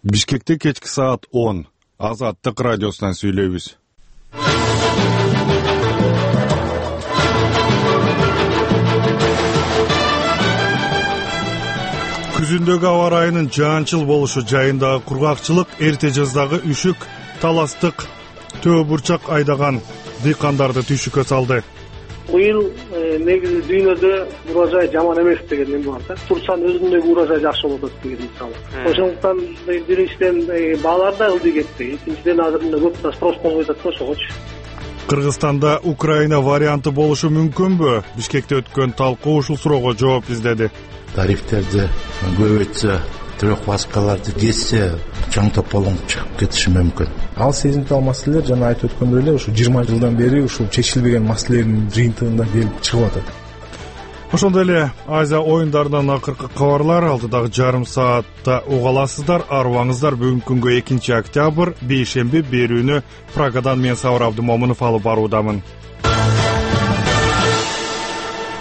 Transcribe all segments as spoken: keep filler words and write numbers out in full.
Бишкекте кечки саат он Азаттык радиосунан сүйлөйбүз. Күзүндөгү аба ырайынын жаанчыл болушу жайындагы кургакчылык, эрте жаздагы үшүк, таластык, төө бурчак айдаган дыйкандарды түйшүккө салды. Быйыл негизи дүйнөдө урожай жаман эмес деген эме бар да. Турцанын өзүндөгү урожай жакшы болот деген мисалы. Ошондуктан биринчиден баалар да ылдый кетти. Экинчиден азыр мына көп спрос болбой атат да ошогочу. Кыргызстанда Украина варианты болушу мүмкүнбү? Бишкекте өткөн талкуу ушул суроого жооп издеди. Тарифтерди көбөйтсө, трехваскаларды кессе, чаң тополоң чыгып кетиши мүмкүн. Ал сезимтал маселелер жана айтып өткөндөй эле ушу жыйырма жылдан бери ушул чечилбеген маселелердин жыйынтыгында келип чыгып атат. Ошондой эле Азия оюндарынан акыркы кабарлар алдыдагы жарым саатта уга аласыздар. Арыбаңыздар, бүгүнкү күнгө экинчи октябрь, бейшемби берүүнү Прагадан мен Сабыр Абдымомунов алып баруудамын.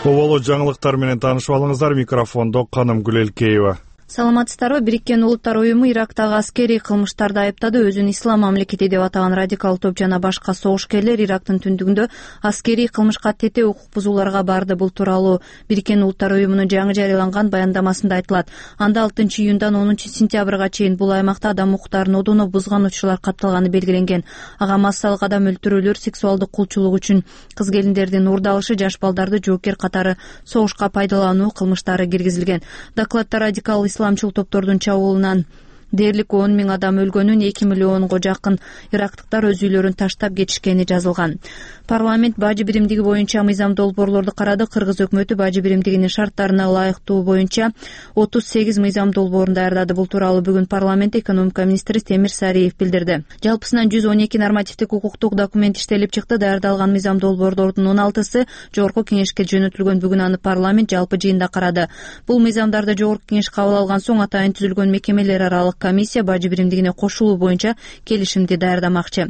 Оболо жаңылыктар менен таанышып алыңыздар. Микрофондо Каным Гүлелкеева. Саламатсыздарбы? Бириккен Улуттар уюму Ирактагы аскерий кылмыштарды айыптады. Өзүн ислам мамлекети деп атаган радикал топ жана башка согушкерлер Ирактын түндүгүндө аскерий кылмышка тете укук бузууларга барды. Бул тууралуу Бириккен Улуттар уюмунун жаңы жарыяланган баяндамасында айтылат. Анда алтынчы июндан онунчу сентябрга чейин бул аймакта адам укуктарын одоно бузган учурлар катталганы белгиленген. Ага массалык адам өлтүрүүлөр, сексуалдык кулчулук үчүн кыз келиндердин урдалышы, жаш балдарды жоопкер катары согушка пайдалануу кылмыштары киргизилген. Докладта радикал исламчыл топтордун чабуулунан дээрлик он миң адам өлгөнүн, эки миллионго жакын ирактыктар өз үйлөрүн таштап кетишкени жазылган. Парламент бажы биримдиги боюнча мыйзам долбоорлорду карады. Кыргыз өкмөтү бажы биримдигинин шарттарына ылайыктуу боюнча отуз сегиз мыйзам долбоорун даярдады. Бул тууралуу бүгүн парламент экономика министри Темир Сариев билдирди. Жалпысынан жүз он эки нормативдик укуктук документ иштелип чыкты. Даярдалган мыйзам долбоорлордун он алтысы Жогорку кеңешке жөнөтүлгөн. Бүгүн аны парламент жалпы жыйында карады. Бул мыйзамдарды Жогорку кеңеш кабыл алган соң атайын түзүлгөн мекемелер аралык комиссия бажы биримдигине кошулуу боюнча келишимди даярдамакчы.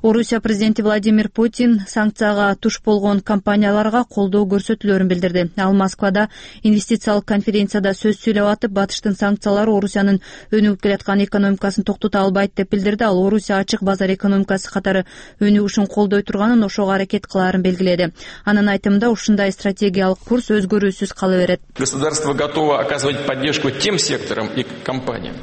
Орусия президенти Владимир Путин санкцияга туш болгон компанияларга колдоо көрсөтүүлөрүн билдирди. Ал Москвада инвестициялык конференцияда сөз сүйлөп атып, батыштын санкциялары Орусиянын өнүгүп келаткан экономикасын токтото албайт деп билдирди. Ал Орусия ачык базар экономикасы катары өнүгүшүн колдой турганын, ошого аракет кылаарын белгиледи. Анын айтымында ушундай стратегиялык курс өзгөрүүсүз кала берет. Государство готово оказывать поддержку тем секторам и компаниям.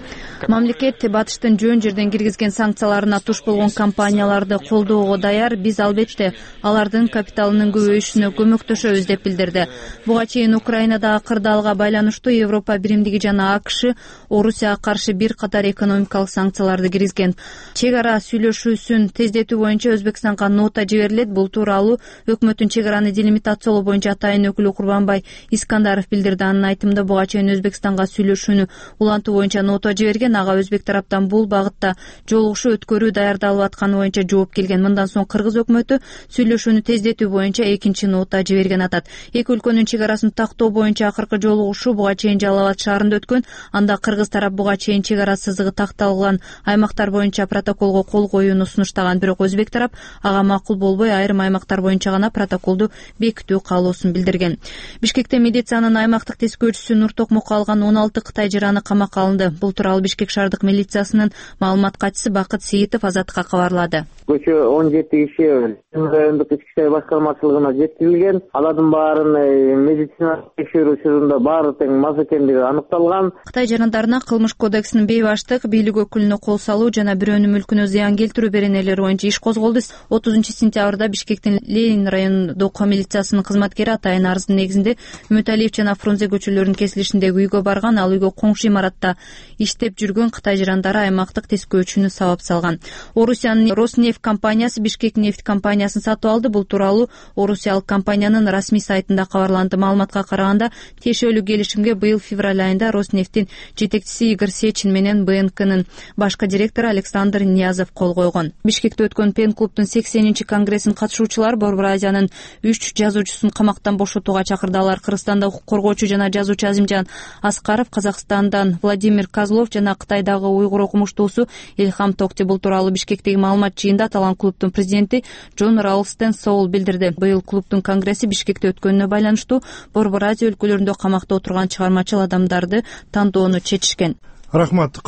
Мамлекет батыштын жөн жерден киргизген санкцияларына туш болгон компанияларды колдоого даяр. Биз албетте алардын капиталынын көбөйүшүнө көмөктөшөбүз деп билдирди. Буга чейин Украинадагы кырдаалга байланыштуу Европа биримдиги жана АКШ Орусияга каршы бир катар экономикалык санкцияларды киргизген. Чек ара сүйлөшүүсүн тездетүү боюнча Өзбекстанга нота жиберилет. Бул тууралуу өкмөттүн чек араны делимитациялоо боюнча атайын өкүлү Курбанбай Искандаров билдирди. Анын айтымында буга чейин Өзбекстанга сүйлөшүүнү улантуу боюнча нота жиберген. Ага өзбек тараптан бул багытта жолугушуу өткөрүү даярдалып атканы боюнча жооп келген. Мындан соң Кыргыз өкмөтү сүйлөшүүнү тездетүү боюнча экинчи нота жиберген атат. Эки өлкөнүн чек арасын тактоо боюнча акыркы жолугушуу буга чейин Жалал Абад шаарында өткөн. Анда Кыргыз тарап буга чейин чек ара сызыгы такталган аймактар боюнча протоколго кол коюуну сунуштаган. Бирок өзбек тарап ага макул болбой, айрым аймактар боюнча гана протоколду бекитүү каалоосун билдирген. Бишкекте милициянын аймактык тескөөчүсү Нур Токмокко алган он алты Кытай жараны камакка алынды. Бул тууралуу Бишкек шаардык милициясынын маалымат катчысы Бакыт Сейитов Азаттыкка кабарлады. Көчө он жети киши райондук ички иштер башкармачылыгына жеткирилген. Алардын баарын медициналык текшерүү учурунда баары тең мас экендиги аныкталган. Кытай жарандарына Кылмыш кодексинин бейбаштык, бийлик өкүлүнө кол салуу жана бирөөнүн мүлкүнө зыян келтирүү беренелери боюнча иш козголду. отузунчу сентябрда Бишкектин Ленин райондук милициясынын кызматкери атайын арыздын негизинде Үмөталиев жана Фрунзе көчөлөрүнүн кесилишиндеги үйгө барган. Ал үйгө коңшу имаратта иштеп жүргөн Кытай жарандары аймактык тескөөчүнү сабап салган. Орусиянын Роснефть компаниясы Бишкек нефть компаниясын сатып алды. Бул тууралуу орусиялык компаниянын расмий сайтында кабарланды. Маалыматка караганда, тиешелүү келишимге быйыл февраль айында Роснефтьтин жетекчиси Игорь Сечин менен Бэ Эн Кнын башкы директору Александр Ниязов кол койгон. Бишкекте өткөн Пен клубтун сексенинчи конгрессин катышуучулары Борбор Азиянын үч жазуучусун камактан бошотууга чакырды. Алар Кыргызстанда укук коргоочу жана жазуучу Азимжан Аскаров, Казакстандан Владимир Козлов жана Кытайдагы уйгур окумуштуусу Илхам Токти. Бул тууралуу Бишкектеги маалымат жыйында аталган клубтун президенти Джон Ралстен Соул билдирди. Быйыл клубтун конгресси Бишкекте өткөнүнө байланыштуу Борбор Азия өлкөлөрүндө камакта отурган чыгармачыл адамдарды тандоону чечишкен. Рахмат.